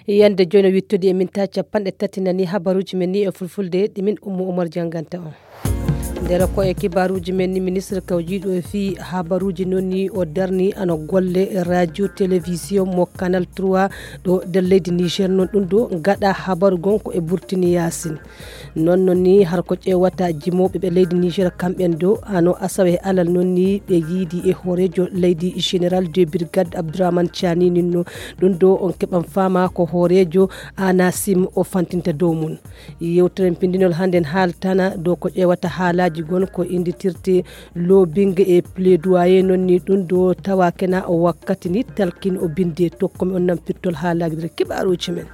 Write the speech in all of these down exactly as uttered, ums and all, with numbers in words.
Yande jooni wittude e minti capanɗe tati nani habaruuji men ni e fulfulde, ɗi min Ummu Umar jannganta on. Nder ko e kibaaruuji men ni, ministre kawjiiɗo e fii habaruuji noon ni o darni ano golle radio télévision mo Canal trois ɗo nder leydi Niger. Noon ɗum ɗo gaɗa habaru gon ko e Burtini Yaasin. Noon noon ni har ko ƴeewata jimooɓe ɓe leydi Niger kamɓen do ano asawe e alal noon ni ɓe yiidi e hooreejo leydi général de brigade Abdourahmane Tiani ninno. Ɗum ɗo on keɓan faama ko hooreejo Anasim o fantinta dow mum. Yewtere pindinol hannden haaltana dow ko ƴeewata haalaaji gon ko innditirte lobbying e plaidoyer. Noon ni ɗum ɗo tawa kena o wakkati ni talkin o binde tokkomi on nan pirtol haalaaji nder kibaaruuji men.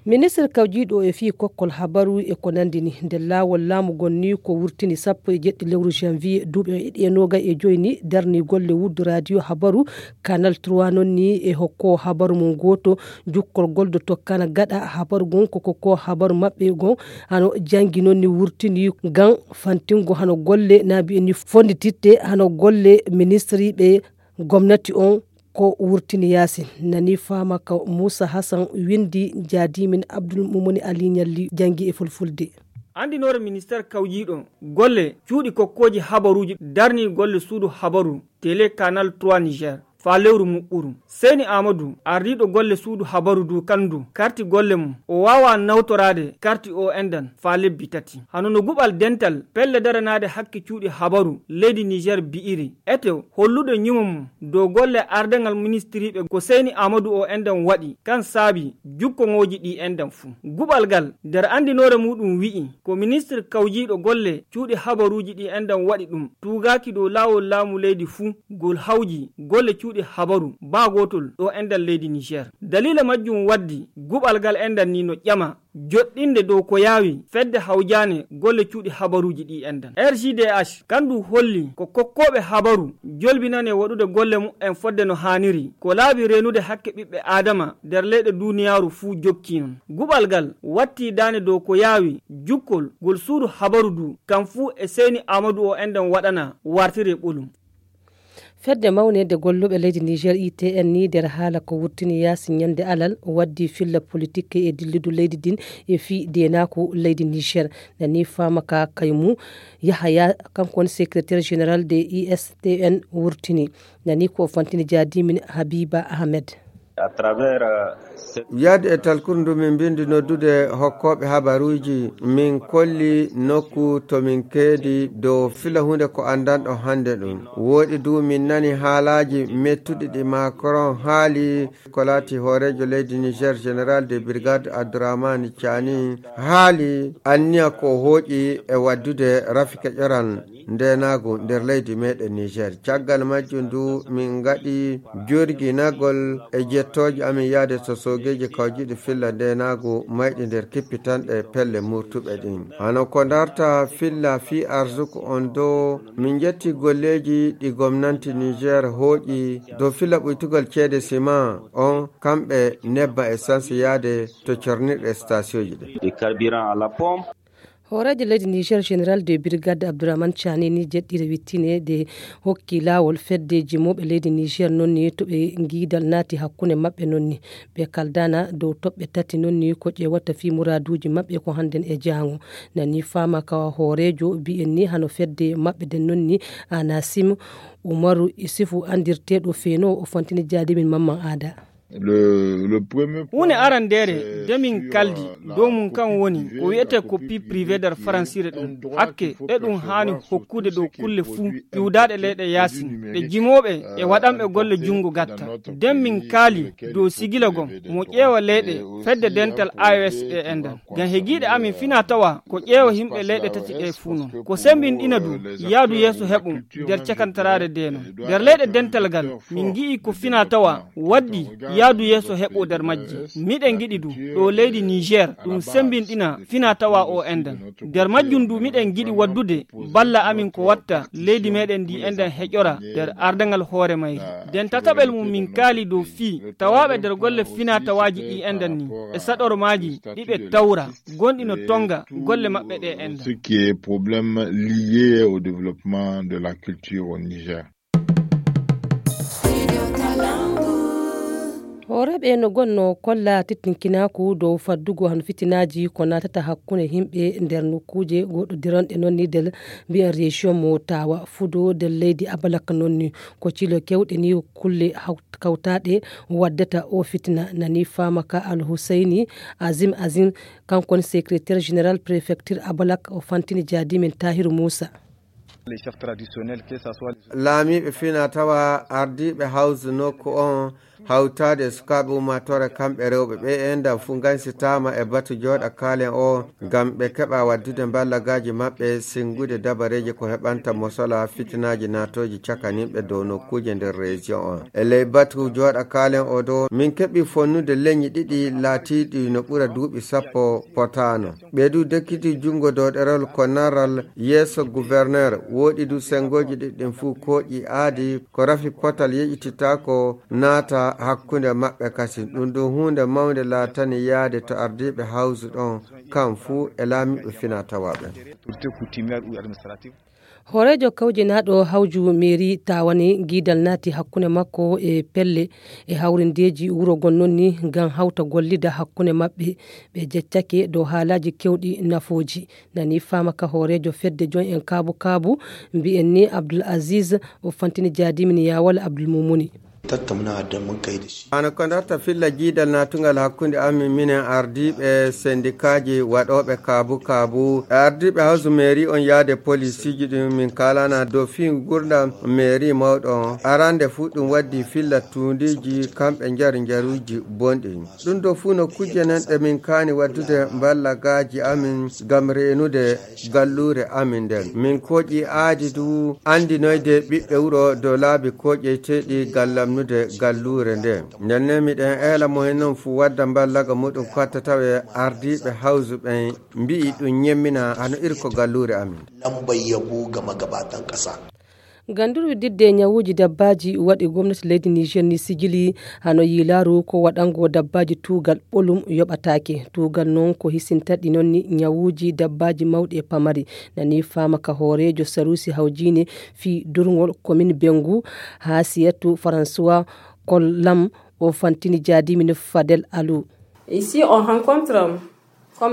Ministre kawjiiɗo e fii kokkol habaru e ko nandi ni nder laawol laamu gon ni ko wurtini sappo e jeɗɗi lewru janvier duuɓi e ɗiɗi e noogay e joyi ni darni golle wuddu radio habaru Canal trois noon ni e hokko habaru mum gooto jukkol goldo tokkana gaɗa habaru gon ko ko habaru maɓɓe gon hano jangi noon ni wurtini gan fantingo hano golle naabi en ni fondititte hano golle ministre ɓe gomnati on ko wurtini yaasin. Nani faama ka Muusa Hasan windi jaadimin Abdul Mumuni Ali Ñalli jangi e fulfulde. Anndinoore ministeer kawjiiɗo golle cuuɗi kokkooji habaruuji darnii golle suudu habaru tele Canal trois Niger faa lewru muɓɓuru. Seyni Aamadu, ardiiɗo golle suudu habaru du kanndu karti golle mum, o waawaa nawtoraade karti o enɗan faa lebbi tati. Hano no guɓal dental pelle daranaade hakke cuuɗi habaru leydi Niger bi'iri, ete hollude ñimo mum dow golle ardaŋal ministiriiɓe ko Seyni Aamadu o enɗan waɗi, kan saabi jukkoŋooji ɗi enɗan fuu. Guɓal ngal, nder anndinoore muuɗum wi'i, ko ministir kawjiiɗo golle cuuɗi habaruuji ɗi enɗan waɗi ɗum, tuugaaki dow laawol laamu leydi fuu, ngol hawji golle cuuɗi habaru baa gootol ɗo enɗan leydi Niger. Daliila majjum waddi guɓal ngal enɗan ni no ƴama joɗɗinde dow ko yaawi fedde hawjaane golle cuuɗi habaruuji ɗi enɗan. R G D H kandu holli ko kokkooɓe habaru jolbinane waɗude golle mu'en fodde no haaniri, ko laabi reenude hakke ɓiɓɓe Aadama nder leyɗe duuniyaaru fuu jokki non. Guɓal ngal watti daane dow ko yaawi jukkol ngol suudu habaru du, kam fuu e Seyni Aamadu o enɗan waɗana wartire ɓolum. Fedde mawnede golluɓe leydi Niger I T N ni nder haala ko wurtini yaasi ñande alal waddi filla politik e dilludu leydi din e fii deenaaku leydi Niger. Nani faama ka Kaymu Yahaya, kanko woni secrétaire général de I S T N wurtini. Nani ko o fantini jaadimin Habiba Ahmed. Yaade e talkuru ndu min mbindi noddude hokkooɓe habaruuji, min kolli nokku to min keedi dow fila huunde ko anndanɗo hannde ɗum. Wooɗi du min nani haalaaji mettuɗi ɗi Macron haali ko laati hooreejo leydi Niger, général de brigade Abdourahmane Tiani, haali anniya ko hooƴi e waddude rafi keƴoral ndeenaagu nder leydi meɗen Niger. Caggal majjum du min ngaɗi jorginagol e jettooje amin yaade to soogeeji kawjiiɗi filla ndeenaagu mayɗi nder kippitanɗe pelle murtuɓe ɗin. Hano ko darta filla fii arsuku on do min jetti golleeji ɗi gomnanti Niger hooƴi dow filla ɓuytugol ceede siman on kamɓe nebba essence yaade to cornirɗe stationji ɗin. Hooreejo leydi Niger, général de brigade Abdourahmane Tiani ni jeɗɗiire wittineede hokki laawol fedde jimooɓe leydi Niger noon ni to ɓe ngiidal naati hakkunde maɓɓe noon ni. Ɓe kaldana dow toɓɓe tati noon ni ko ƴeewata fii muraaduuji maɓɓe ko hannden e jaango. Nani faama ka hooreejo bi'en ni hano fedde maɓɓe den noon ni Anasim Umaru Isifu anndirteeɗo Feno o fantini jaadimin Mamman Aada. Huunde arandeere de min kaldi dow mum kan woni ko wi'etee copie privée nder faransire ɗum. Hakke eɗum haani hokkude dow kulle fuu iwdaaɗe leyɗe yaasin ɗe jimooɓe e waɗanɓe golle junngo gatta. Den min kaali dow sigila gom mo ƴeewa leyɗe fedde dental A E S e enɗan. Ngam hegiiɗe amin finaa tawa ko ƴeewa yimɓe leyɗe tati ɗe fuu non. Ko sembinɗina du yaadu yeeso heɓum nder cakantaraare de non. Nder leyɗe dental ngal min ngi'i ko finaa tawa waddi yaadu yeeso heɓo nder majje. Miɗen ngiɗi du ɗo leydi Niger ɗum sembinɗina finaa tawa o enɗan. Nder majjum du miɗen ngiɗi waddude balla amin ko watta leydi meɗen ndi enɗan heƴora nder ardaŋal hoore mayri. Nden tataɓel mum min kaali dow fii tawaaɓe nder golle finaa tawaaji ɗi enɗan ni e saɗormaaji ɗi ɓe tawra gonɗi no tonga golle maɓɓe ɗe enɗan. Ce qui est problème lié au développement de la culture au Niger. Hooreeɓe no gonnoo kolla tittinkinaaku dow faddugo hano fitinaaji ko naatata hakkunde yimɓe nder nokkuuje goɗɗo dironɗe noon ni del mbiyen région mo tawa fudo del leydi abalak noon ni ko cilo kewɗe ni kulle kawtaaɗe waddata o fitina nani faama ka alhuseyni azim azim kanko woni secrétaire général préfecture abalak o fantini jaadimen tahiru moussa. Laamiiɓe fina tawa ardiiɓe hawsu nokku on hawtaade e sukaaɓe ummaatoore kamɓe rewɓe ɓe e ndam fuu ngansitaama e batu jooɗa kaalen o ngam ɓe keɓa waddude mballagaaji maɓɓe sinngude dabareeji ko heɓanta mosola fitinaaji naatooji cakaninɓe dow nokkuuje nder région on e ley batu jooɗa kaalen o dow min keɓi fonnude leñi ɗiɗi laatiiɗi no ɓura duuɓi sappo potaano. Ɓee du dekkiti junngo dow ɗerol ko naral yeeso gouverneur woɗi du senngooji ɗiɗɗin fuu kooƴi aadi ko rafi potal yeƴititaako naata hakkunde maɓɓe kasin ɗum du huunde mawnde laatani yaade to ardiiɓe hawsu ɗon kam fuu e laamiiɓe fina tawa ɓen. Hooreejo kawjinaaɗo hawju meeri taawani giidal naati hakkunde makko e pelle e hawrindeeji wuro gon noon ni ngam hawta gollida hakkunde maɓɓe ɓe jeccake dow haalaaji kewɗi nafooji nani faama ka hooreejo fedde joñ en kaabu kaabu mbiyen ni abdul aziz o fantini jaadimin yaawal abdul mumuni. Hano ko darta filla jiidal natungal hakkunde amin minen ardiiɓe sendikaaji waɗooɓe kaabu kaabu e ardiiɓe hawsu meeri on yaade polisiiji ɗin min kaalana dow fii gurdam meeri mawɗo on arande fuu ɗum waddi filla tuundiiji kamɓe njari njaruuji bonɗi ɗum ɗo fuu no kujje nen ɗe min kaani waddude mballagaaji amin ngam reenude galluure amin nden min koƴi aadi du andinoyde ɓiɓɓe wuro dow laabi koƴeyteeɗi ngam lamnude galluure nden ndenne miɗen eela mo hen non fuu wadda mballaga muɗum katta tawe ardiiɓe hawsu ɓen mbi'i ɗum ñemmina hano irko galluure amin. Lambar yabo ga magabatan ƙasa. Ganduru didde ñawuuji dabbaaji waɗi gomnati leydi Niger ni sigili hano yiilaaru ko waɗango dabbaaji tuugal ɓolum yoɓataake. Tuugal noon ko hisintaɗi noon ni ñawuuji dabbaaji mawɗi e pamari. Nani faama ka hooreejo saruusi hawjiine fii durngol komin Bengu haa siyatu François Kollam o fantini jaadimin Fadel Alou. Ici on rencontre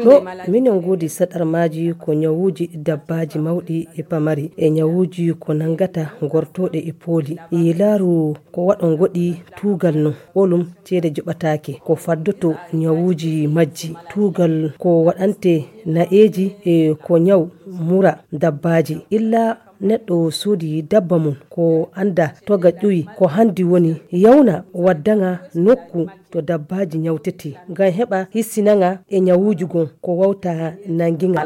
Ɗo minen ngoodi saɗarmaaji ko ñawuuji dabbaaji mawɗi e pamari e ñawuuji ko nanngata gortooɗe e pooli. Yilaaru ko waɗo ngoɗi tuugal no ɓolum ceede joɓataake ko faddoto ñawuuji majji. Tuugal ko waɗante na'eeji e ko ñaw mura dabbaaji illa neɗɗo soodi dabba mum ko annda toga ƴuwi ko hanndi woni yawna waddaŋa nokku to dabbaaji ñawtetee ngam heɓa hissinaŋa e ñawuuji gom ko wawta nanngiŋa.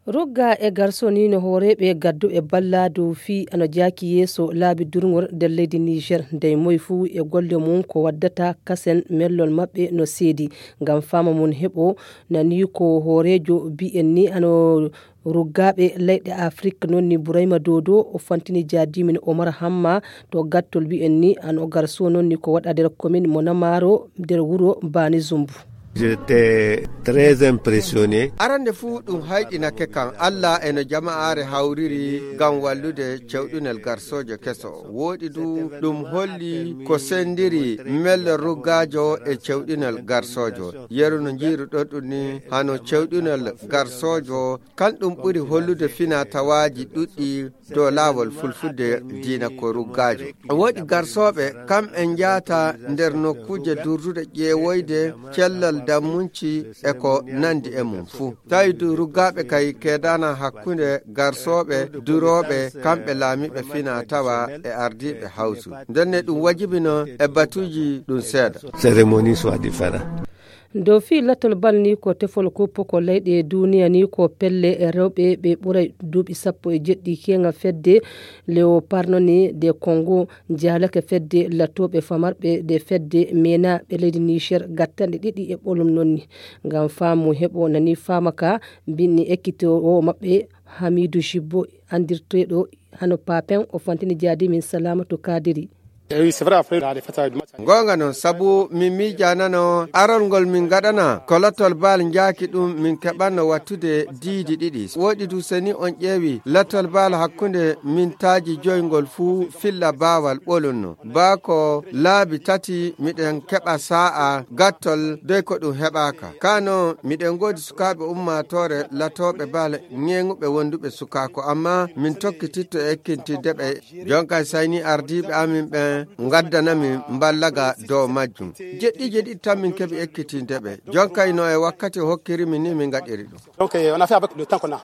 Rugga e garsoni no hooreeɓe gadduɓe balla dow fii ano jaaki yeeso laabi durŋol nder leydi Niger dey moy fuu e golle mum ko waddata kasen mellol maɓɓe no seedi ngam faama mum heɓo nani ko hooreejo bi'en ni ano ruggaaɓe leyɗe Afrik noon ni Burayma Dodo o fantini jaadimin Omar Hamma to gattol bi'en ni ano garso noon ni ko waɗa nder komin mo Namaro nder wuro Bani Zumbu. J'étais très impressionné. Arande fuu ɗum hayɗinake kan Allah e no jama'aare hawriri ngam wallude cewɗunel garsoojo keso. Wooɗi du ɗum holli ko sendiri melle ruggaajo e cewɗunel garsoojo. Yeru no njiiruɗon ɗum ni hano cewɗunel garsoojo kan ɗum ɓuri hollude fina tawaaji ɗuɗɗi dow laawol fulfulde diina ko ruggaajo. Woodi garsooɓe kamɓe njaata nder nokkuuje durduɗe ƴeewoyde cellal dammunci e ko nandi e mum fuu. Tawi du ruggaaɓe kay keedana hakkunde garsooɓe durooɓe kamɓe laamiiɓe fina tawa e ardiiɓe hawsu. Ndenne ɗum wajibino e batuuji ɗum seeɗa. Cérémonie soit différent. Dow fii lattol bal ni ko tefol kuppo ko leyɗe duniya ni ko pelle e rewɓe ɓe ɓuray duuɓi sappo e jeɗɗi keŋa fedde leoparno ni de congo jaalake fedde lattoɓe famarɓe de fedde mena ɓe leydi niger gattanɗe ɗiɗi e ɓolum nonni ngam faamu heɓo nani faama ka binni ekkito o maɓɓe hamidu jibbo andirteɗo hano papen o fantini jaadi min salamatu kadiri. Goonga noon, sabu min miijanano arol ngol min ngaɗana ko lattol baal njaaki ɗum, min keɓanno wattude diidi ɗiɗi. Woɗi du seni on ƴeewi lattol baal hakkunde min taaji joy ngol fuu filla baawal ɓolunno. Baa ko laabi tati miɗen keɓa saa'a gattol dey ko ɗum heɓaaka. Kaa noon miɗen ngoodi sukaaɓe ummaatoore latooɓe baal ŋeeŋuɓe wonduɓe sukaako, amma min tokkititto e ekkintindeɓe. Jonkay sayni ardiiɓe amin ɓen ngaddana min mballaga dow majjum. Jeɗɗiije ɗiɗi tan min keɓi ekkitindeɓe. Jonkay no e wakkati o hokkiri min ni min ngaɗiri ɗum. Donc, euh, on a fait avec le temps qu'on a.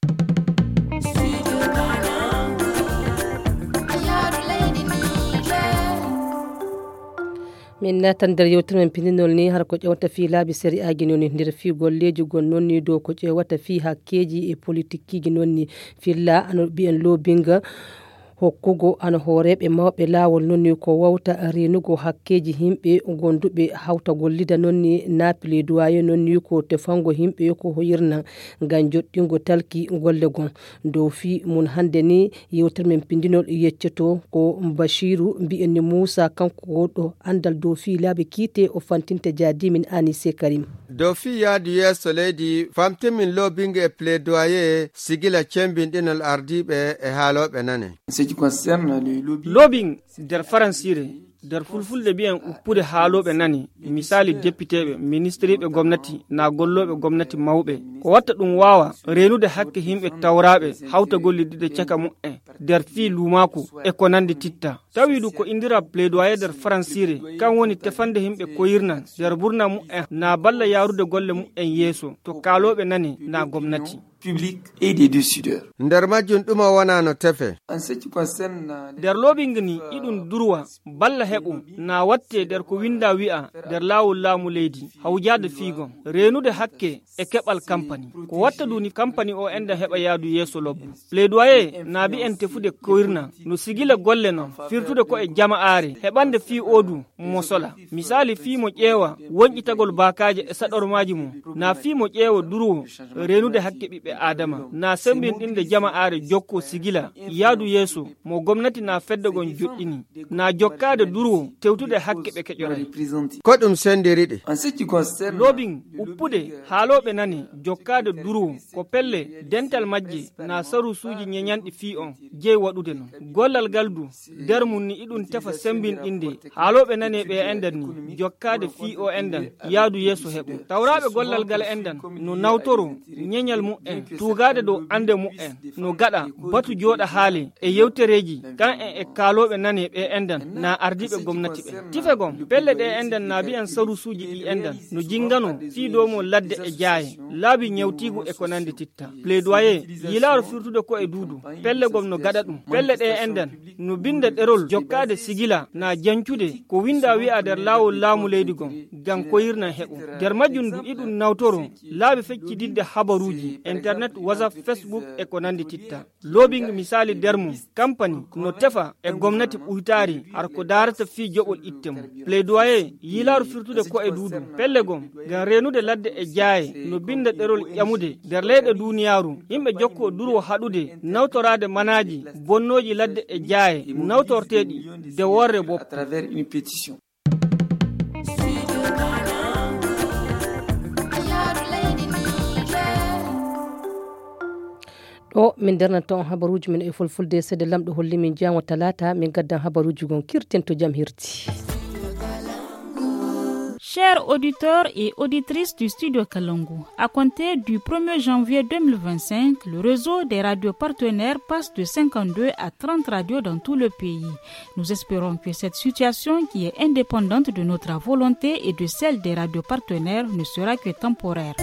Min naatan nder yewtere men pindinol ni, har ko ƴewta fii laabi sari'aaji noon ni, nder fii golleeji gon noon ni, dow ko ƴewata fii hakkeeji e politikkiiji noon ni, filla ano mbiyen loobinga hokkugo ano hooreeɓe mawɓe laawol noon ni ko wawta reenugo hakkeeji yimɓe gonduɓe hawta gollida noon ni, na plaidoyer noon ni ko tefango yimɓe ko hoyirna ngam joɗɗingo talki golle gon. Dow fii mun hannde ni, yewtere men pindinol yeccoto ko Bashiru mbiyen ni Muusa, kanko wonɗo anndal dow fii laabi kiite, o fantinta jaadimin Anise Karim. Dow fii yaadu yeeso leydi, famtimin loobinge e plaidoyer, sigila cembinɗinol ardiiɓe e haalooɓe nane. Loobing nder faransiire, nder fulfulde mbiyen uppude haalooɓe nane, misaali depiteeɓe, ministiriiɓe gomnati, naa gollooɓe gomnati mawɓe. Ko watta ɗum waawa reenude hakke yimɓe tawraaɓe hawta gollidde caka mu'en nder fii luumaaku e ko nanndi titta. Tawi du ko inndiraa plaidoyer nder faransiire, kan woni tefande yimɓe koyirnan nder burna mu'en naa balla yaarude golle mu'en yeeso to kaalooɓe nane naa gomnati. Public et des décideurs. Nder majjum ɗuma wona no tefe. Nder loobinga ni iɗum durwa balla heɓo na watte nder ko winda wi'a nder laawol laamu leydi hawjaade fiigon reenude hakke e keɓal kampani. Ko watta duni kampani o enda heɓa yaadu yeeso lobbo. Plaidoyer na mbi'en tefude koyirna no sigila golle non firtude ko e jama'aare heɓande fii odu mo sola. Misaali fii mo ƴeewa wonƴitagol baakaaje e saɗormaaji mum, na fii mo ƴeewa durwo reenude hakke ɓiɓɓe Aadama, na semmbinɗinde jama'aare jokkoo sigila yaadu yeeso mo gomnati na fedde gon joɗɗini, na jokkaade durwo tewtude hakke ɓe keƴoray. Ko ɗum senndiri ɗi. Loobin uppude haalooɓe nane jokkaade durwo ko pelle dental majje na sarusuuji ñeñanɗi fii on jeyi waɗude non. Gollal ngal du nder mum ni iɗum tefa semmbinɗinde haalooɓe nane ɓe enɗan ni jokkaade fii o enɗan yaadu yeeso heɓo. Tawraaɓe gollal ngal enɗan no nawtoro ñeñal mu'en tuugaade dow annde mu'en no gaɗa batu jooɗa haale e yewtereeji kan en e kaalooɓe nane ɓe enɗan na ardiiɓe gomnati ɓen. Tife gon pelle ɗe enɗan na mbi'an sarusuuji ɗi enɗan no jinngano fii dow mo ladde e jaaye laabi ñewtiigu e ko nanndi titta. Plaidoyer yilaaro firtude ko e duudu pelle gom no gaɗa ɗum pelle ɗe enɗan no binnda ɗerol jokkaade sigila na jancude ko winnda wi'a nder laawol laamu leydi gon ngam koyirna heɓo. Nder majjum du iɗum nawtoro laabi feccididde habaruuji internet, whatsapp, facebook e ko nanndi titta. Loobing misaali nder mum kampani no tefa e gomnati ɓuytaari har ko daarata fii joɓol itte mum. Plaidoyer yilaaro firtude ko e duudu pelle gom ngam reenude ladde e jaaye no binnda ɗerol ƴamude nder leyɗe duuniyaaru yimɓe jokkoo durwo haɗude nawtoraade manaaji bonnooji ladde e jaaye nawtorteeɗi de worre boppo. Ɗo min ndernanta on habaruuji men e fulfulde. Seede lamɗo holli min jaango talaata min gaddan habaruuji gon kirten to jam hirti. Chers auditeurs et auditrices du Studio Kalangu, à compter du premier janvier deux mille vingt-cinq, le réseau des radios partenaires passe de cinquante-deux à trente radios dans tout le pays. Nous espérons que cette situation, qui est indépendante de notre volonté et de celle des radios partenaires, ne sera que temporaire.